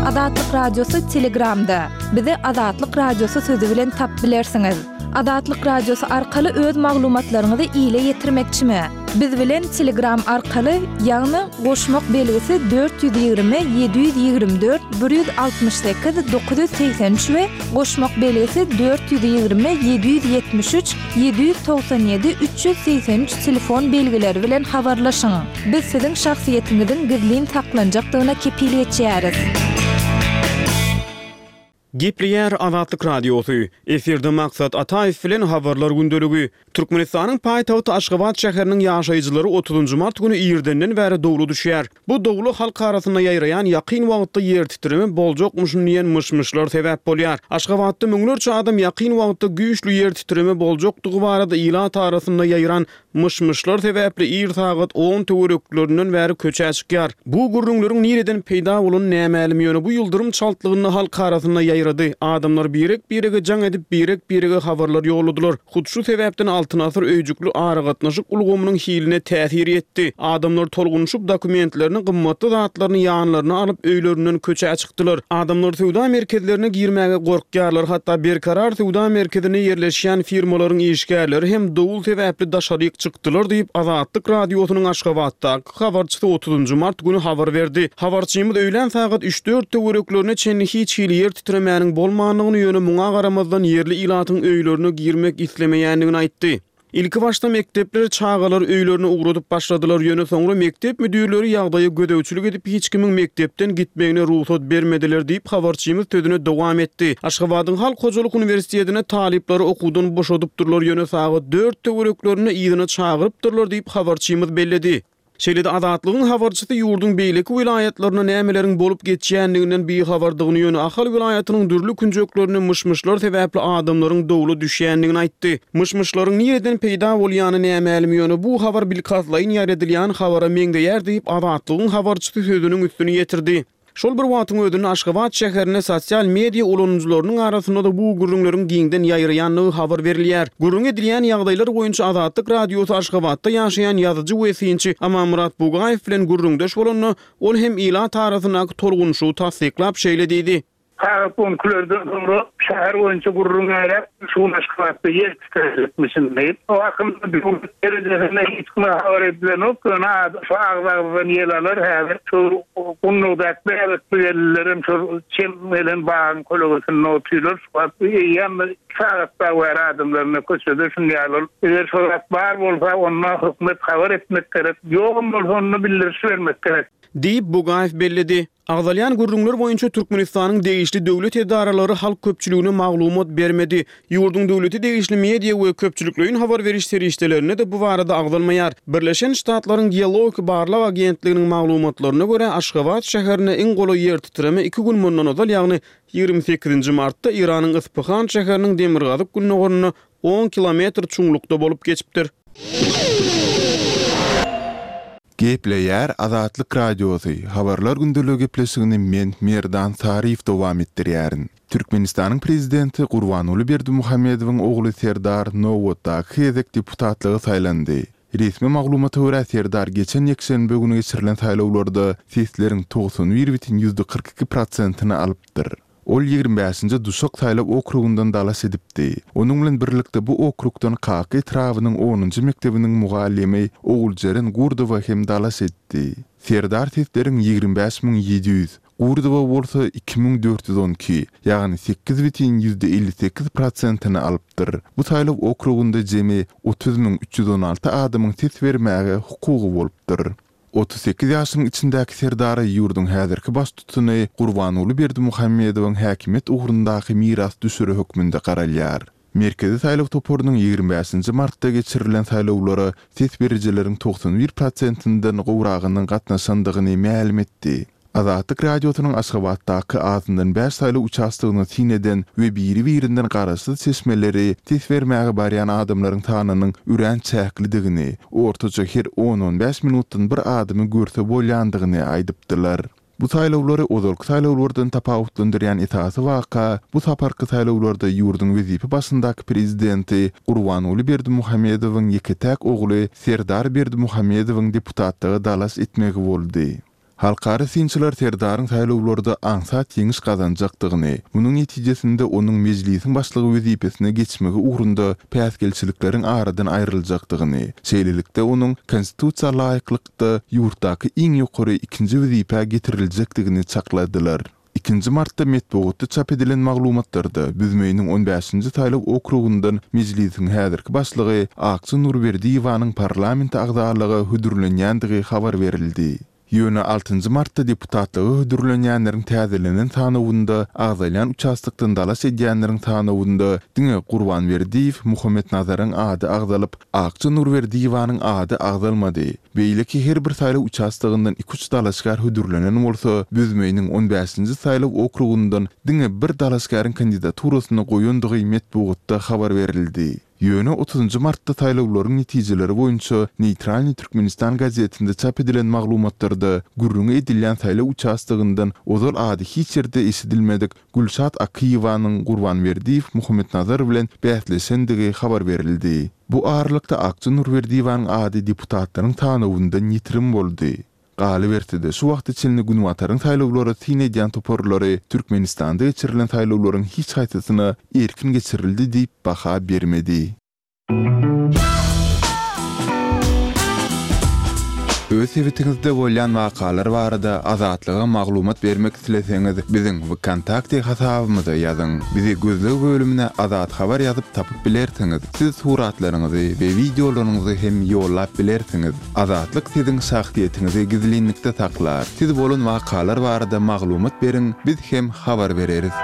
Azatlyk Radiosy Telegramda. Bizi Azatlyk Radiosy sözi bilen tap bilersiňiz. Azatlyk Radiosy arkaly öz maglumatlaryňyzy ile ýetirmekçimi? Biz bilen Telegram arkaly, ýagny goşmak belgisi 420 724 168 983 we goşmak belgisi 420 773 797 383 telefon belgileri bilen habarlaşyň. Biz siziň şahsyýetiňiziň gizlin saklanjakdygyna kepil geçýäris. Gepleýär Azatlyk Radiosy, Efirde Maksat Ataýew bilen Habarlar gündeligi. Türkmenistanyň paýtagty Aşgabat şäheriniň ýaşaýjylary otuzynjy mart güni irdenden bäri dowla düşýär. Bu dowla halk arasynda ýaýraýan ýakyn wagtda ýertitreme boljakmyşyn diýen myş-myşlar sebäp bolýar. Aşgabatda müňlerçe adam ýakyn wagtda güýçli ýertitreme boljakdygy barada ilat arasynda ýaýran Myş-myşlar sebäpli ir sagat on töwereklerinden bäri köçä çykýar. Bu gürrüňleriň nireden peýda bolany nämälim, ýöne bu ýyldyrym çaltlygynda halk arasynda ýaýrady. Adamlar birek-birege jaň edip, birek-birege habarlar ýolladylar. Hut şu sebäpden Altyn asyr öýjükli aragatnaşyk ulgamynyň hiline täsir ýetdi. Adamlar tolgunyşyp, dokumentlerini, gymmatly zatlaryny ýanlaryna alyp, öýlerinden köçä çykdylar. Adamlar söwda merkezlerine girmäge gorkýarlar, hatda Berkarar söwda merkezinde ýerleşýän firmalaryň işgärleri hem dowul sebäpli daşaryk çykdylar diýip, Azatlyk Radiosynyň Aşgabatdaky habarçysy otuzynjy mart güni habar berdi. Habarçymyz öýlän sagat üç-dört töwereklerine çenli hiç hili ýer titremäniň bolmandygyny, ýöne muňa garamazdan ýerli ilatyň öýlerine girmek islemeýändigini aýtdy. Ilkibaşda mekdepler çagalary öýlerine ugradyp başladylar, ýöne soňra mekdep müdirleri ýagdaýa gözegçilik edip, hiç kimiň mekdepden gitmegine rugsat bermediler diýip, habarçymyz sözüne dowam etdi. Aşgabadyň Halk hojalyk uniwersitetinde talyplary okuwdan boşadypdyrlar, ýöne sagat dört töwereklerinde yzyna çagyrypdyrlar diýip, habarçymyz belledi. Şeýle-de Azatlygyň habarçysy ýurduň beýleki welaýatlarynda nämeleriň bolup geçýändiginden bihabardygyny, ýöne Ahal welaýatynyň dürli künjeklerinde myş-myşlar sebäpli adamlaryň dowla düşýändigini aýtdy. Myş-myşlaryň nireden peýda bolýany nämälim, ýöne bu habar bilkastlaýyn ýaýradylýan habara meňzeýär diýip, Azatlygyň habarçysy sözüniň üstüni ýetirdi. Şol bir wagtyň özünde Aşgabat şäherinde sosial media ulanyjylarynyň arasynda-da bu gürrüňleriň giňden ýaýraýandygy habar berilýär. Gürrüňi edilýän ýagdaýlar boýunça Azatlyk Radiosy Aşgabatda ýaşaýan ýazyjy we synçy Amanmyrat Bugaýew bilen gürrüňdeş bolanda, ol hem ilat arasyndaky tolgunyşygy tassyklap, şeýle diýdi. Sagat on ikilerden soňra şäher boýunça gürrüň ýaýrap, şu gün Aşgabatda ýer titrejekmişin diýip. O hakynda döwlet derejesinde hiç kime habar edilenok, ýöne şu agz-agzdan ýel alar häzir. Şu Gundagdaky bäbekli gelinlerem şol çem gelen bagyň kölegesinde otyrlar. Şu wagt eýýäm bir iki sagat dagy bäri adamlar ine köçede şuny ýaly ol. Eger şo zat bar bolsa, onda hökümet habar etmek gerek. Ýogam bolsa onda bildiriş bermek gerek. Diýip, Bugaýew belledi. Agzalýan gürrüňler boýunça Türkmenistanyň degişli döwlet edaralary halk köpçüligine maglumat bermedi. Ýurduň döwlete degişli media we köpçülikleýin habar beriş serişdelerinde-de bu barada agzalmaýar. Birleşen Ştatlaryň Geologik barlag agentliginiň maglumatlaryna görä, Aşgabat şäherine iň golaý ýertitreme iki gün mundan ozal, ýagny 28-nji martda Eýranyň Yspyhan şäheriniň demirgazyk-gündogarynda on kilometr çuňlukda bolup geçipdir. Gepleýär Azatlyk Radiosy, Habarlar gündeligi gepleşigini men, Merdan Saryýew dowam etdirýärin. Türkmenistanyň Prezidenti Gurbanguly Berdimuhamedowyň ogly Serdar nobatdaky gezek deputatlyga saýlandy. Resmi maglumata görä, Serdar geçen ýekşenbe güni geçirilen saýlawlarda sesleriň 91 bütin 42 prosentini alypdyr. Ol 25-nji Duşak saýlaw okrugyndan dalaş edipdi. Onuň bilen birlikde bu okrugdan Kaka etrabynyň onunjy mekdebiniň mugallymy Oguljeren Gurdowa hem dalaş etdi. Serdar sesleriň 25 700, Gurdowa bolsa 2412, ýagny 8,58 prosentini alypdyr. Bu saýlaw okrugynda jemi 30 316 adamyň ses bermäge hukugy bolupdyr. 38 ýaşynyň içindäki Serdara ýurduň häzirki baştutany Gurbanguly Berdimuhamedowyň häkimiýet ugrundaky mirasdüşeri hökmünde garalýar. Merkezi saýlaw toparynyň 25-nji martda geçirilen saýlawlara ses berijileriň 91 prosentinden gowragynyň gatnaşandygyny mälim etdi. Azatlyk Radiosynyň Aşgabatdaky azyndan bäş saýlaw uçastogyna syn eden we biri-birinden garaşsyz çeşmeleri ses bermäge barýan adamlaryň sanynyň örän çäklidigini, ortaça her on-on bäş minutdan bir adamy görse bolýandygyny aýdypdylar. Bu saýlawlary ozalky saýlawlardan tapawutlandyrýan esasy waka bu saparky saýlawlarda ýurduň wezipe başyndaky prezidenti Gurbanguly Berdimuhamedowyň ýeke-täk ogly Serdar Berdimuhamedowyň deputatlyga dalaş etmegi boldy. Halkara synçylar Serdaryň saýlawlarda aňsat ýeňiş gazanjakdygyny, munuň netijesinde onuň Mejlisiň başlygy wezipesine geçmegi ugrunda päsgelçilikleriň aradan aýryljakdygyny, şeýlelikde onuň Konstitusiýa laýyklykda ýurtdaky iň ýokary ikinji wezipä getiriljekdigini çakladylar. Ikinji martda metbugatda çap edilen maglumatlarda Büzmeýiniň on bäşinji saýlaw okrugyndan Mejlisiň häzirki başlygy Akja Nurberdiýewanyň parlamente agzalyga hödürlenýändigi habar berildi. Ýöne altynjy martda deputatlyga hödürlenýänleriň täzelenen sanawynda agzalýan uçastokdan dalaş edýänleriň sanawynda diňe Gurban Berdiýew Muhammetnazaryň ady agzalyp, Akja Nurberdiýewanyň ady agzalmady. Beýleki her bir saýlaw uçastogyndan iki-üç dalaşgär hödürlenen bolsa, Büzmeýiniň on bäşinji saýlaw okrugyndan diňe bir dalaşgäriň kandidaturasyny goýandygy metbugatda habar berildi. Ýöne otuzynjy martda saýlawlaryň netijeleri boýunça Neýtralnyý Türkmenistan gazetinde çap edilen maglumatlarda gürrüňi edilýän saýlaw uçastogyndan ozal ady hiç ýerde eşidilmedik Gülşat Akyýewanyň Gurban Berdiýew Muhammetnazar bilen bäsleşendigi habar berildi. Bu aralykda Akja Nurberdiýewanyň ady deputatlaryň sanawyndan ýitirim boldy. Galyberse-de, şu wagta çenli Günbataryň saýlawlara syn edýän toparlary Türkmenistanda geçirilen saýlawlaryň hiç haýsysyna erkin geçirildi diýip baha bermedi. Öz sebitiňizde bolýan wakalar barada Azatlyga maglumat bermek isleseňiz, biziň WKontakte hasabymyza ýazyň. Bizi gözleg bölümine Azat Habar ýazyp tapyp bilersiňiz. Siz suratlaryňyzy we wideolaryňyzy hem ýollap bilersiňiz. Azatlyk siziň şahsyýetiňizi gizlinlikde saklar. Siz bolan wakalar barada maglumat beriň, biz hem habar bereris.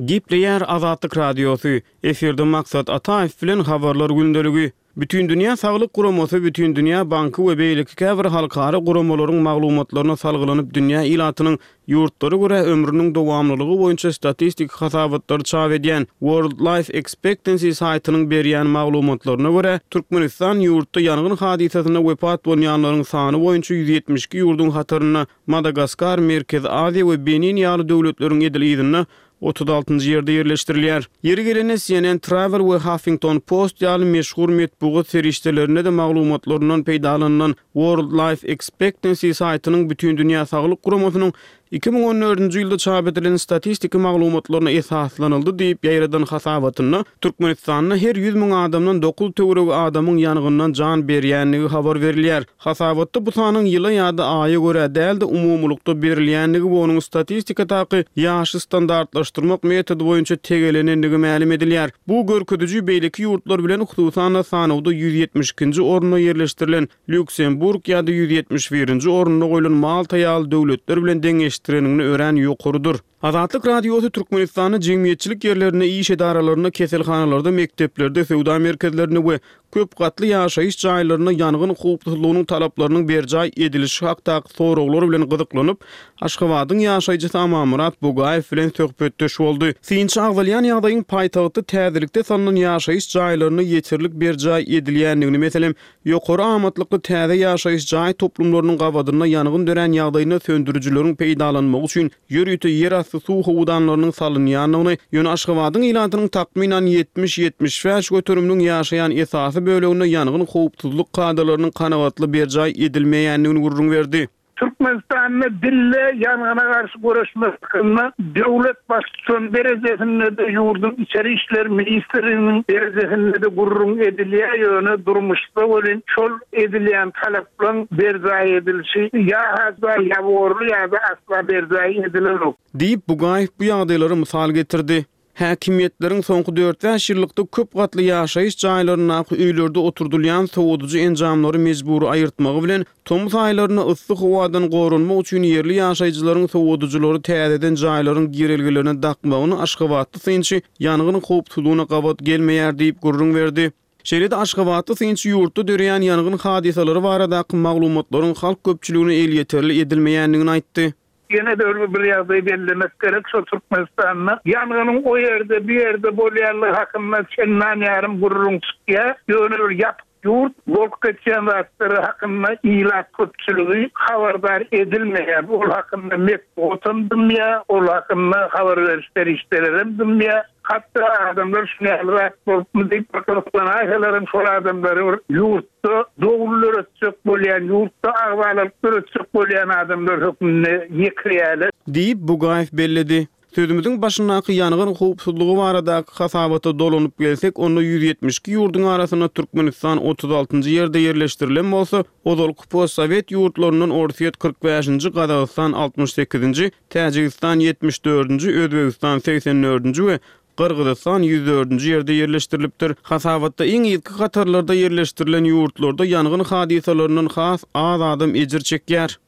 Gepleýär Azatlyk Radiosy, Efirde Maksat Ataýew bilen Habarlar gündeligi. Bütindünýä Saglyk Guramasy, Bütindünýä Banky we beýleki käbir halkara guramalaryň maglumatlaryna salgylanyp dünýä ilatynyň ýurtlara görä ömrüniň dowamlylygy boýunça statistiki hasabatlary çap edýän World Life Expectancy saýtynyň berýän maglumatlaryna görä, Türkmenistan ýurtda ýangyn hadysasynda wepat bolýanlaryň sany boýunça 172 ýurduň hatarynda Madagaskar, Merkezi Aziýa we Benin ýaly döwletleriň edil yzynda 36-njy ýerde ýerleşdirilýär. Ýeri gelende, CNN Travel we Huffington Post ýaly meşhur metbugat serişdelerinde-de maglumatlaryndan peýdalanylan World Life Expectancy saýtynyň Bütindünýä Saglyk Guramasynyň 2014-nji ýylda çap edilen statistiki maglumatlaryna esaslanyldy diýip ýaýradan hasabatynda Türkmenistanda her 100 müň adamdan dokuz töweregi adamyň ýangyndan jan berýändigi habar berilýär. Hasabatda bu sanyň ýyla ýa-da aýa görä däl-de, umumylykda berilýändigi we onuň statistikadaky ýaşy standartlaşdyrmak metody boýunça tegelenendigi mälim edilýär. Bu görkeziji beýleki ýurtlar bilen, hususan-da, sanawda 172-nji orunda ýerleşdirilen Lýuksemburg ýa-da 171-nji orunda goýlan Malta ýaly döwletler bilen deňeşdireniňde örän ýokarydyr. Azatlyk Radiosy Türkmenistanda jemgyýetçilik ýerlerinde, iş edaralarynda, keselhanalarda, mekdeplerde, söwda merkezlerinde we köp gatly ýaşaýyş jaýlarynda ýangyn howpsuzlygynyň talaplarynyň berjaý edilişi hakdaky soraglar bilen gyzyklanyp, Aşgabadyň ýaşaýjysy Amanmyrat Bugaýew bilen söhbetdeş boldy. Synçy agzalýan ýagdaýyň paýtagtda täzelikde salnan ýaşaýyş jaýlarynda ýeterlik berjaý edilýändigini, meselem, Ýokary amatlykly täze ýaşaýyş jaý toplumlarynyň gabadynda ýangyn dörän ýagdaýynda söndürijileriň peýdalanmagy üçin ýörite ýerasty suw howdanlarynyň salynýandygyny, ýöne Aşgabadyň ilatynyň takmynan 70-75 göteriminiň ýaşaýan esasy böleginde ýangyn howpsuzlyk kadalarynyň kanagatly berjaý edilmeýändigini gürrüň berdi. Türkmenistanda dilde ýangyna garşy göreşmek hakynda döwlet baştutany derejesinde-de, ýurduň Içeri işler ministrliginiň derejesinde-de gürrüň edilýär, ýöne durmuşda welin şol edilýän talaplaryň berjaý edilişi ýa-ha ýaborly ýa-da asla berjaý edilenok. Diýip, Bugaýew bu ýagdaýlary mysal getirdi. Häkimiýetleriň soňky dört-bäş ýyllykda köp gatly ýaşaýyş jaýlaryndaky öýlerde oturdylýan sowadyjy enjamlary mejbury aýyrtmagy bilen, tomus aýlarynda yssy howadan goranmak üçin ýerli ýaşaýjylaryň sowadyjylary täzeden jaýlaryň girelgelerine dakmagyny aşgabatly synçy ýangyn howpsuzlygyna gabat gelmeýär diýip gürrüň berdi. Şeýle-de aşgabatly synçy ýurtda döreýän ýangyn hadysalary baradaky maglumatlaryň halk köpçüligine elýeterli edilmeýändigini aýtdy. Ýene-de bir ýagdaýy bellemek gerek, şol Türkmenistanda ýangynyň o ýerde, bu ýerde bolýanlygy hakynda çendan ýarym gürrüň çykýar. Ýöne bir ýapyk. Ýurt bolup geçýän zatlar hakynda ilat köpçüligi habardar edilmeýär. Ol hakynda metbugatam dymýar, ol hakynda habar beriş serişdelerem dymýar. Hatda adamlar şuny ýaly zat bolupmy diýip bir gyzyklanaýsalaram şol adamlary bir ýurtda dowul döretjek bolýan, ýurtda agzalalyk döretjek bolýan adamlar hökmünde ýekirýärler. Diýip, Bugaýew belledi. Sözümiziň başyndaky ýangyn howpsuzlygy baradaky hasabata dolanyp gelsek, onda 172 ýurduň arasynda Türkmenistan 36-njy ýerde ýerleşdirilen bolsa, ozalky postsowet ýurtlaryndan Orsýet 45-nji, Gazagystan 68-nji, Täjigistan 74-nji, Özbegistan 84-nji we Gyrgyzystan 104-nji ýerde ýerleşdirilipdir. Hasabatda iň yzky hatarlarda ýerleşdirilen ýurtlarda ýangyn hadysalaryndan has az adam ejir çekýär.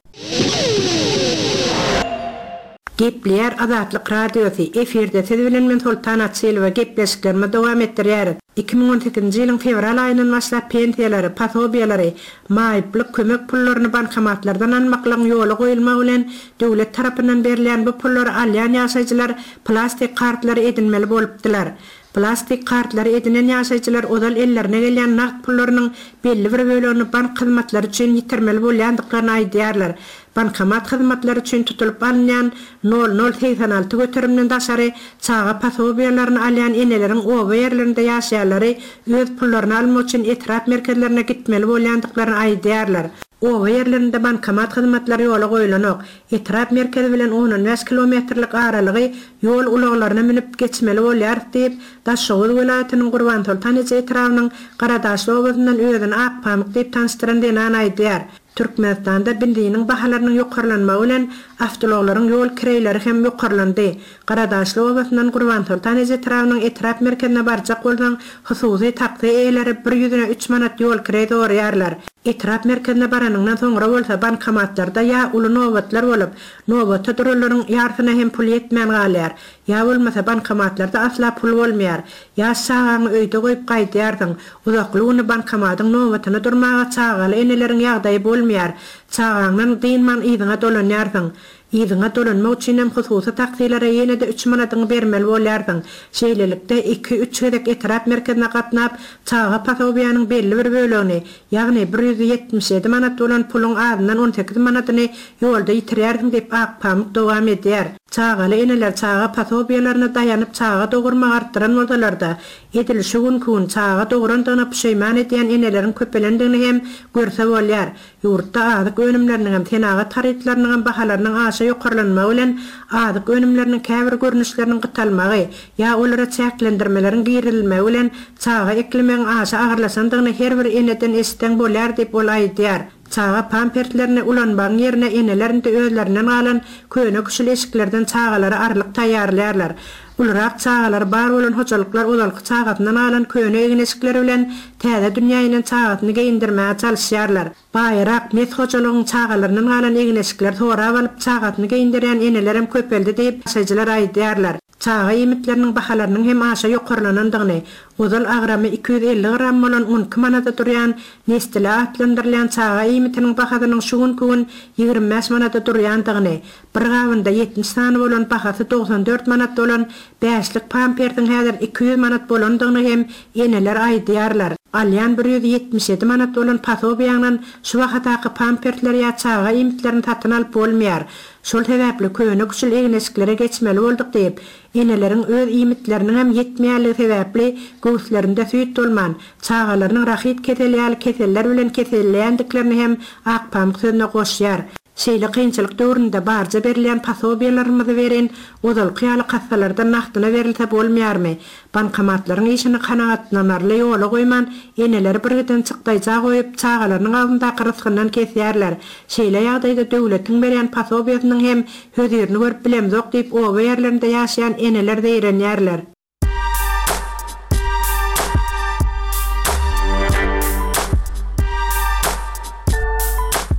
Gepleýär Azatlyk Radiosy, Efirde siz bilen men Soltan Açylowa gepleşiklerimizi dowam etdirýäris. 2018-nji ýylyň fewral aýyndan başlap pensiýalary, posobiýalary, maýyplyk kömek pullaryny bankomatlardan almaklygyň ýola goýulmagy bilen döwlet tarapyndan berilýän bu pullary alýan ýaşaýjylar plastik kartlary edinmeli bolupdylar. Plastik kartlary edinen ýaşaýjylar ozal ellerine gelýän nagt pullarynyň belli bir bölegini bank hyzmatlary üçin ýitirmeli bolýandyklaryny aýdýarlar. Bankomat hyzmatlary üçin tutulyp alynýan nol nol 86 göterimden daşary çaga posobiýalaryny alýan eneleriň oba ýerlerinde ýaşaýanlary öz pullaryny almak üçin etrap merkezlerine gitmeli bolýandyklaryny aýdýarlar. Oba ýerlerinde bankomat hyzmatlary ýola goýlanok. Etrap merkezi bilen on-on bäş kilometrlik aralygy ýol ulaglaryna münüp geçmeli bolýarys diýip, Daşoguz welaýatynyň Gurbansoltan eje etrabynyň Garadaşly obasyndan özüni Akpamyk diýip tanyşdyran zenan aýdýar. Türkmenistanda benziniň bahalarynyň ýokarlanmagy bilen awtoulaglaryň ýol kireýleri hem ýokarlandy. Garadaşly obasyndan Gurbansoltan eje etrabynyň etrap merkezine barjak bolsaň, hususy taksi eýeleri bir ýüzüne üç manat ýol kireý soraýarlar. Etrap merkezine baranyňdan soňra bolsa bankomatlarda ýa uly nobatlar bolup, nobata duranlaryň ýarsyna hem pul ýetmän galýar, ýa bolmasa bankomatlarda asla pul bolmaýar. Ýaş çagaňy öýde goýup gaýdýarsyň. Uzakly güni bankomatyň nobatyna durmaga çagaly eneleriň ýagdaýy bolmaýar. Çagaňdan dynman yzyňa dolanýarsyň. Yzyňa dolanmak üçinem hususy taksilere ýene-de üç manadyňy bermeli bolýarsyň. Şeýlelikde, iki, üç gezek etrap merkezine gatnap, çaga posobiýanyň belli bir bölegini, ýagny 177 manat bolan puluň azyndan on sekiz manadyny ýolda ýitirýärsiň diýip, Akpamyk dowam edýär. Çagaly eneler çaga posobiýalaryna daýanyp çaga dogurmagy artdyran bolsalar-da, edil şu günki gün çaga dograndygyna puşeýman edýän eneleriň köpelendigini hem görse bolýar. Ýurtda azyk önümleriniňem, senagat harytlarynyňam bahalarynyň aşa ýokarlanmagy bilen azyk önümleriniň käbir görnüşleriniň gytalmagy ýa olara çäklendirmeleriň girizilmegi bilen çaga eklemegiň aşa agyrlaşandygyny her bir eneden eşitseň bolýar diýip ol aýdýar. Çaga pamperslerini ulanmagyň ýerine eneler indi özlerinden galan köne-küşül eşiklerden çagalara arlyk taýýarlaýarlar. Ulurak çagalary bar bolan hojalyklar ozalky çagasyndan galan köne egin-eşikleri bilen täze dünýä inen çagasyny geýindirmäge çalyşýarlar. Baýrak, mes hojalygyň çagalaryndan galan egin-eşikleri sorap alyp, çagasyny geýindirýän enelerem köpeldi diýip, ýaşaýjylar aýdýarlar. Çaga iýmitleriniň bahalarynyň hem aşa ýokarlanandygyny, ozal agramy 250 gram bolan on iki manada durýan Nestile atlandyrylýan çaga iýmitiniň bahasynyň şu günki gün 25 manada durýandygyny, Bir gabynda 70 sany bolan bahasy 94 manat bolan bäşlik pampersiň häzir 200 manat bolandygyny hem eneler aýdýarlar. Alýan 177 manat bolan posobiýaňdan şu bahadaky pampersleri ýa çaga iýmitlerini satyn alyp bolmaýar. Şol sebäpli köne-küşül egin-eşiklere geçmeli bolduk diýip, eneleriň öz iýmitleriniňem ýetmeýänligi sebäpli göwüslerinde süýt bolman, çagalarynyň rahit keseli ýaly keseller bilen keselleýändiklerini hem Akpamyk sözüne goşýar. Şeýle kynçylyk döwründe barja berilýän posobiýalarymyzy berin, ozalky ýaly kassalardan nagtyna berilse bolmaýarmy? Bankomatlaryň işini kanagatlanarly ýola goýman, eneleri birgiden çykdaýja goýup, çagalarynyň agzyndaky rysgyndan kesýärler. Şeýle ýagdaýda döwletiň berýän posobiýasynyň hem hözirini görüp bilemzok diýip oba ýerlerinde ýaşaýan eneler zeýrenýärler.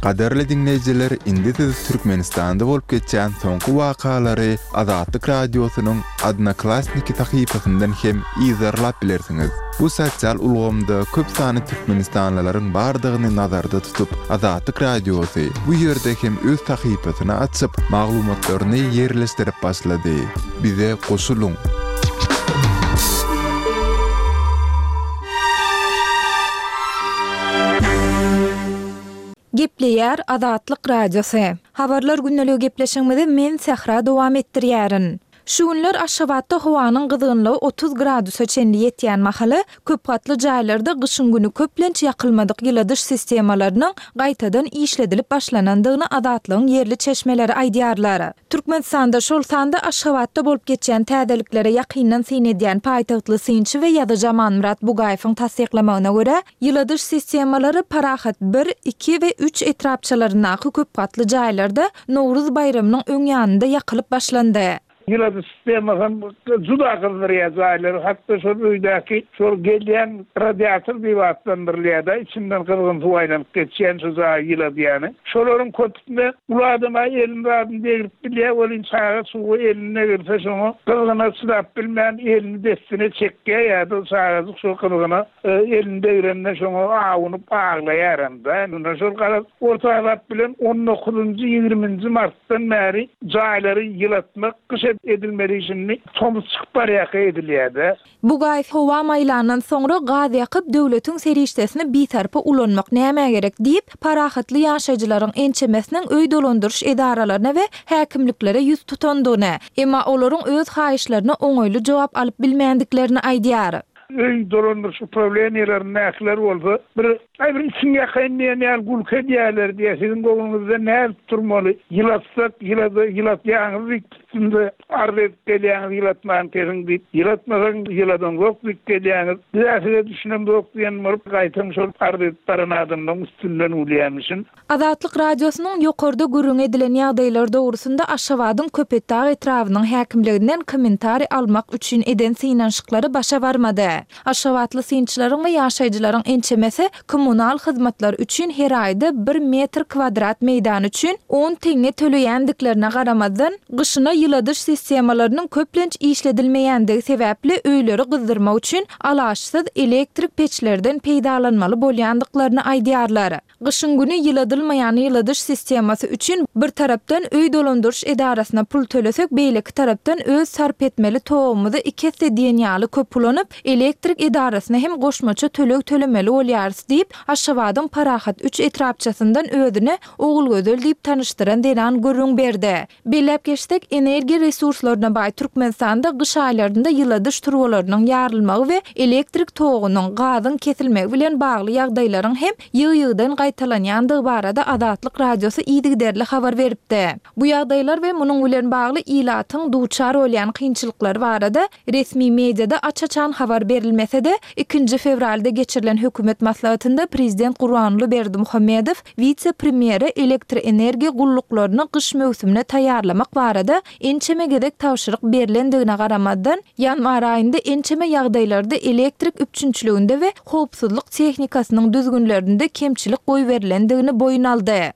Gadyrly diňleýjiler, indi siz Türkmenistanda bolup geçýän soňky wakalary Azatlyk Radiosynyň Odnoklassniki sahypasyndan hem yzarlap bilersiňiz. Bu sosial ulgamda köp sanly türkmenistanlylaryň bardygyny nazarda tutup, Azatlyk Radiosy bu ýerde hem öz sahypasyny açyp, maglumatlaryny ýerleşdirip başlady. Bize goşulyň! Gepleýär Azatlyk Radiosy. Habarlar gündeligi gepleşigimizi men Sähra dowam etdirýärin. Şu günler Aşgabatda howanyň gyzgynlygy 30 gradusa çenli ýetýän mahaly, köp gatly jaýlarda gyşyň güni köplenç ýakylmadyk ýyladyş sistemalarynyň gaýtadan işledilip başlanandygyny Azatlygyň ýerli çeşmeleri aýdýarlar. Türkmenistanda, şol sanda Aşgabatda bolup geçýän täzeliklere ýakyndan syn edýän paýtagtly synçy we ýazyjy Amanmyrat Bugaýewiň tassyklamagyna görä, Ýyladyş sistemalary Parahat bir, iki we üç etrapçalaryndaky köp gatly jaýlarda Nowruz baýramynyň öň ýanynda ýakylyp başlandy. Ýyladyş sistemasy hem juda gyzdyrýar jaýlary, hatda şol öýdäki şol gelýän radiator diýip atlandyrylýar-da, içinden gyzgyn suw aýlanyp geçýän şu jaýy ýyladýany. Şolaryň köpüsinde uly adam-a elini zadyny degrip bilýär welin, çaga çuga elini degirse şoňa gyzgyna çydap bilmän elini dessine çekýär ýa-da çagajyk şol gyzgyna Elini degrende şoňa awunyp aglaýaram-da. Mundan şol garaz, orta azap bilen on dokuzynjy, ýigriminji martdan bäri jaýlary ýylatmak gyş edilmeli şindi tomus çykyp barýarka edilýär-de. Bugaýew howa maýlandan soňra gaz ýakyp, döwletiň serişdesini bisarpa ulanmak nämä gerek diýip, parahatly ýaşaýjylaryň ençemesiniň öý dolandyryş edaralaryna we häkimliklere ýüz tutandygyny, emma olaryň öz haýyşlaryna oňaýly jogap alyp bilmändiklerini aýdýar. Öý dolandyryş uprawleniýelerindäkiler bolsa bir, Aý, bir içiňi ýakaýyn diýen ýaly gülki edýärler diýýär. Siziň göwnüňizde nädip durmaly? Ýylatsak, ýylada, ýylatýaňyz diýip üstümize arz edip gelýäňiz, ýylatman kesiň diýip. Ýylatmasaň, ýyladyňzok diýip gelýäňiz. Biz-ä size düşünemzok diýen bolup, gaýtam şol arz edip baran adamlaryň üstünden gülýärmişin. Azatlyk Radiosynyň ýokarda gürrüňi edilen ýagdaýlar dogrusynda Aşgabadyň Köpetdag etrabynyň häkimliginden kommentariý almak üçin eden synanyşyklary başa barmady. Aşgabatly synçylaryň we ýaşaýjylaryň ençemesi kommunal hyzmatlar üçin her aýda bir metr kwadrat meýdan üçin on teňňe töleýändiklerine garamazdan, gyşyna ýyladyş sistemalarynyň köplenç işledilmeýändigi sebäpli öýleri gyzdyrmak üçin alaçsyz elektrik peçlerden peýdalanmaly bolýandyklaryny aýdýarlar. Gyşyň güni ýyladylmaýan ýyladyş sistemasy üçin bir tarapdan öý dolandyryş edarasyna pul tölesek, beýleki tarapdan öz sarp etmeli togumyzy iki esse diýen ýaly köp ulanyp, elektrik edarasyna hem goşmaça töleg tölemeli bolýarys diýip, Aşgabadyň Parahat üç etrapçasyndan özüni Ogulgözel diýip tanyşdyran zenan gürrüň berdi. Belläp geçsek, energiýa resurslaryna baý Türkmenistanda gyş aýlarynda ýyladyş turbalarynyň ýarylmagy we elektrik togunyň, gazyň kesilmegi bilen bagly ýagdaýlaryň hem ýygy-ýygydan gaýtalanýandygy barada Azatlyk Radiosy yzygiderli habar beripdi. Bu ýagdaýlar we munuň bilen bagly ilatyň duçar bolýan kynçylyklary barada Resmi mediada aç-açan habar berilmese-de, ikinji fewralda geçirilen hökümet maslahatynda prezident Gurbanguly Berdimuhamedow wise-premýere elektroenergiýa gulluklaryny gyş möwsümine taýýarlamak barada ençeme gezek tabşyryk berlendigine garamazdan, ýanwar aýynda ençeme ýagdaýlarda elektrik üpjünçiliginde we howpsuzlyk tehnikasynyň düzgünlerinde kemçilik goýberilendigini boýun aldy.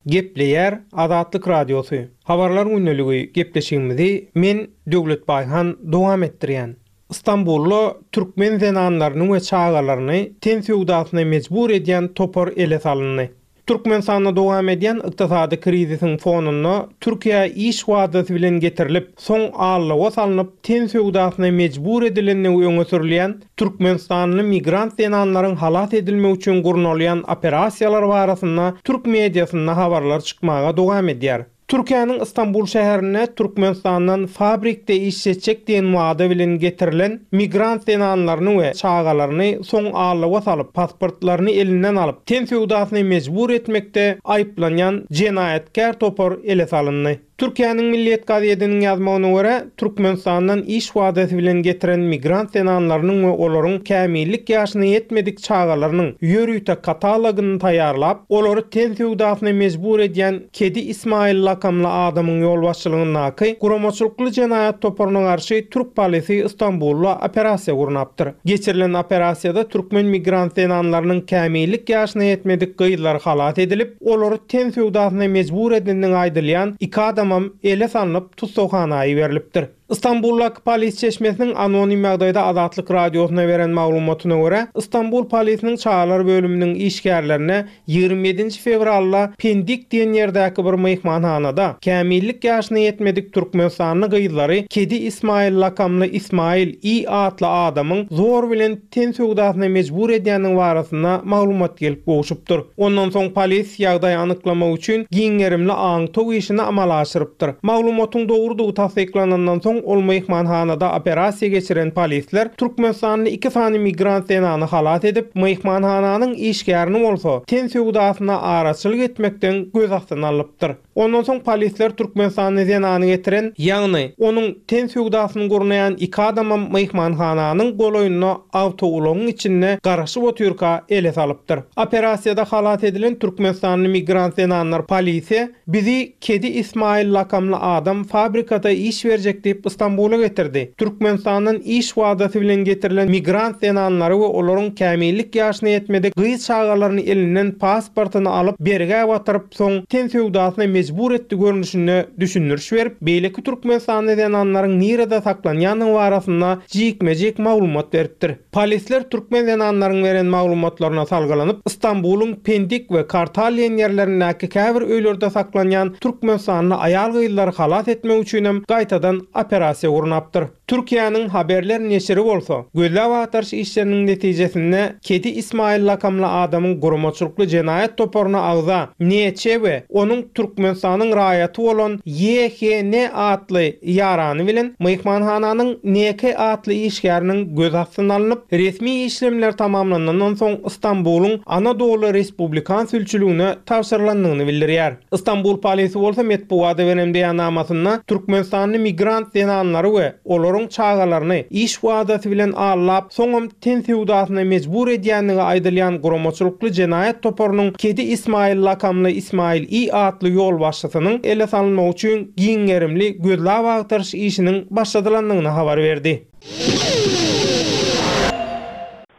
Gepleýär Azatlyk Radiosy, Habarlar gündeligi gepleşigimizi men Döwlet Baýhan dowam etdirýän. Stambulda türkmen zenanlaryny we çagalaryny ten söwdasyna mejbur edýän topar ele salyndy. Türkmenistanda dowam edýän ykdysady krizisiň fonunda Türkiýä iş wadasy bilen getirilip, soň aldawa salnyp ten söwdasyna mejbur edilendigi öňe sürülýän Türkmenistanly migrant zenanlaryň halas edilmegi üçin gurnalýan operasiýalar barasynda türk mediasynda habarlar çykmaga dowam edýär. Türkiýäniň Stambul şäherinde Türkmenistandan fabrikde işletjek diýen wada bilen getirilen migrant zenanlaryny we çagalaryny soň aldawa salyp, pasportlaryny elinden alyp, ten söwdasyna mejbur etmekde aýyplanýan jenaýatkär topar ele salyndy. Türkiýäniň Milliýet gazediniň ýazmagyna görä, Türkmenistandan iş wadasy bilen getiren migrant zenanlarynyň we olaryň kämillik ýaşyna ýetmedik çagalarynyň ýörite katalogyny taýýarlap, olary ten söwdasyna mejbur edýän Kedi Ismail lakamly adamyň ýolbaşçylygyndaky guramaçylykly jenaýat toparyna garşy türk polisi Stambulda operasiýa gurnapdyr. Geçirilen operasiýada türkmen migrant zenanlarynyň kämillik ýaşyna ýetmedik gyzlary halas edilip, Olary ten söwdasyna mejbur edendigi aýdylýan iki adamam ele salnyp, tussaghana iberilipdir. Stambuldaky polis çeşmesiniň anonim ýagdaýda Azatlyk Radiosyna beren maglumatyna görä, Stambul polisiniň çagalar bölüminiň işgärlerine 27-nji fewralda Pendik diýen ýerdäki bir myhmanhanada kämillik ýaşyna ýetmedik türkmenistanly gyzlary Kedi Ismail lakamly Ismail I atly adamyň zor bilen ten söwdasyna mejbur edýändigi barasynda maglumat gelip gowşupdyr. Ondan soň polis ýagdaýy anyklamak üçin giň gerimli aňtaw işini amala aşyrypdyr. Maglumatyň dogrudygy tassyklanandan soň ol myhmanhanada operasiýa geçiren polisler türkmenistanly iki sany migrant zenany halas edip, myhmanhananyň işgärini bolsa ten söwdasyna araçylyk etmekden göz astyna alypdyr. Ondan soň polisler türkmenistanly zenany getiren, ýagny, onuň ten söwdasyny gurnaýan iki adamam myhmanhananyň golaýynda awtoulagyň içinde garaşyp otyrka ele salypdyr. Operasiýada halas edilen türkmenistanly migrant zenanlar polise, Bizi Kedi Ismail lakamly adam fabrikada iş berjek diýip Stambula getirdi. Türkmenistandan iş wadasy bilen getirilen migrant zenanlary we olaryň kämillik ýaşyna ýetmedik gyz çagalaryny elinden pasportyny alyp, bergä batyryp, soň ten söwdasyna mejbur etdi görnüşinde düşündiriş berip, beýleki türkmenistanly zenanlaryň nirede saklanýandygy barasynda jikme-jik maglumat beripdir. Polisler türkmen zenanlaryň beren maglumatlaryna salgylanyp, Stambulyň Pendik we Kartal diýen ýerlerindäki käbir öýlerde saklanýan türkmenistanly aýal-gyzlary halas etmek üçinem gaýtadan operasiýa gurnapdyr. Türkiýäniň Haberler neşiri bolsa, gözläp-agtaryş işleriniň netijesinde Kedi Ismail lakamly adamyň guramaçylykly jenaýat toparyna agza NÇ we onuň Türkmenistanyň raýaty bolan YHN atly ýarany bilen myhmanhananyň NK atly işgäriniň göz astyna alnyp, resmi işlemler tamamlanandan soň Stambulyň Anadoly Respublikan sülçüligine tabşyrylandygyny bildirýär. Stambul polisi bolsa metbugata beren beýannamasynda türkmenistanly migrant zenanlary we olaryň çagalaryny iş wadasy bilen aldap, soňam ten söwdasyna mejbur edýändigi aýdylýan guramaçylykly jenaýat toparynyň Kedi Ismail lakamly Ismail I atly ýolbaşçysynyň ele salynmagy üçin giň gerimli gözläp-agtaryş işiniň başladylandygyny habar berdi.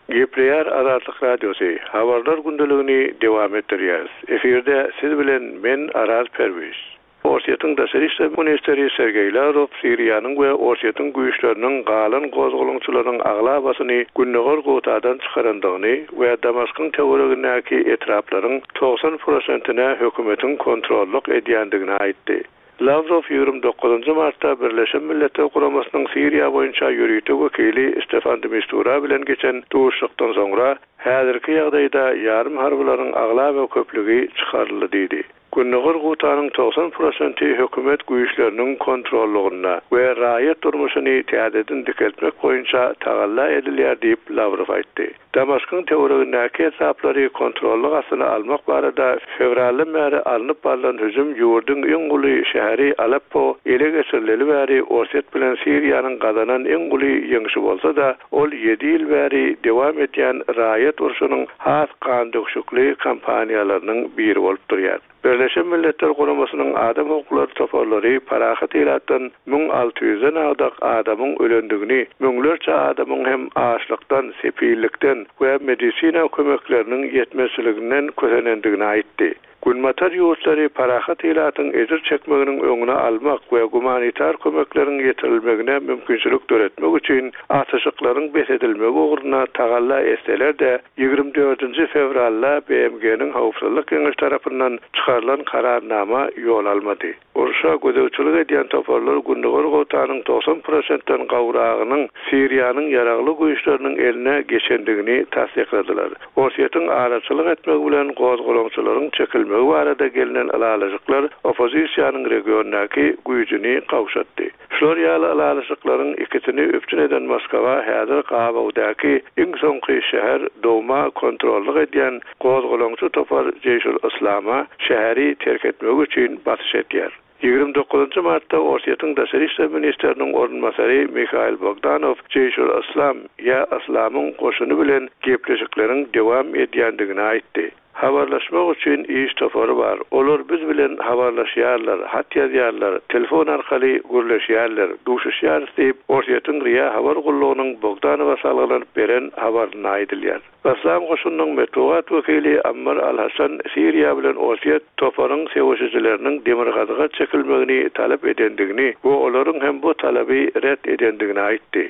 Gepleýär Azatlyk Radiosy, Habarlar gündeligini dowam etdirýäris. Efirde siz bilen men Araz Perwiz. Orsýetiň daşary işler ministri Sergeý Lawrow Siriýanyň we Orsýetiň güýçleriniň galan gozgalaňçylaryň aglabasyny Gündogar Gutadan çykarandygyny we Damaskyň töweregindäki etraplaryň 90 prosentine hökümetiň kontrollyk edýändigini aýtdy. Lawrow 29 martda Birleşen Milletler Guramasynyň Siriýa boýunça ýörite wekili Stefan de Mistura bilen geçen duşuşykdan soňra, häzirki ýagdaýda ýarym harbylaryň aglaba köplügi çykaryldy diýdi. Gündogar Gutanyň 90 prosenti hökümet güýçleriniň kontrollygynda we raýat durmuşyny täzeden dikeltmek boýunça tagalla edilýär diýip, Lawrow aýtdy. Damaskyň töweregindäki etraplary kontrollyk astyna almak barada fewraldan bäri alnyp barlan hüjüm ýurduň iň uly şäheri Aleppo ele geçirileli bäri Orsýet bilen Siriýanyň gazanan iň uly ýeňşi bolsa-da, ol ýedi ýyl bäri dowam edýän raýat urşunyň has gandöküşikli kampaniýalarynyň biri bolup durýar. Birleşen Milletler Guramasynyň adam hukuklary toparlary parahat ilatdan 1600-den agdak adamyň ölendigini, müňlerçe adamyň hem açlykdan, sepillikden we medisina kömekleriniň ýetmezçiliginden kösenendigini aýtdy. Günbatar ýurtlary parahat ilatyň ejir çekmeginiň öňüni almak we gumanitar kömekleriň ýetirilmegine mümkinçilik döretmek üçin atyşyklaryň bes edilmegi ugrunda tagalla etseler-de, 24-nji fewralda BMG-niň Howpsuzlyk Geňeşi tarapyndan çykarylan Kararnama ýol almady. Urşa gözegçilik edýän toparlar Gündogar Gotanyň 90 prosentden gowragynyň Siriýanyň ýaragly güýçleriniň eline geçendigini tassykladylar. Orsýetiň araçylyk etmegi bilen gozgalaňçylaryň çekilmegi barada gelnen ylalaşyklar oppozisiýanyň regiondaky güýjüni gowşatdy. Şular ýaly ylalaşyklaryň ikisini üpjün eden Moskwa häzir gabawdaky iň soňky şäher Douma kontrollyk edýän gozgalaňçy topar Jeýşul-Yslama şäheri terk etmegi üçin basyş edýär. 29 martda Orsýetiň daşary işler ministriniň orunbasary Mihail Bogdanow Jeýşul-Yslam ýa Yslamyň goşuny bilen gepleşikleriň dowam edýändigini aýtdy. Habarlaşmak üçin iş topary bar. Olar biz bilen habarlaşýarlar, hat ýazýarlar, telefon arkaly gürleşýärler, duşuşýarys diýip, Orsýetiň RIA habar gullugynyň Bogdanowa salgylanyp beren habarynda aýdylýar. Yslam goşunynyň metbugat wekili Ammar al-Hasan Siriýa bilen Orsýet toparyň söweşijileriniň demirgazyga çekilmegini talap edendigini we olaryň hem bu talaby ret edendigini aýtdy.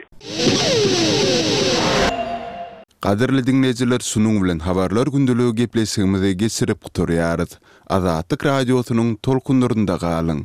Gadyrly diňleýjiler şunuň bilen Habarlar gündeligi gepleşigimizi geçirip gutarýarys. Azatlyk Radiosynyň tolkunlarynda galyň!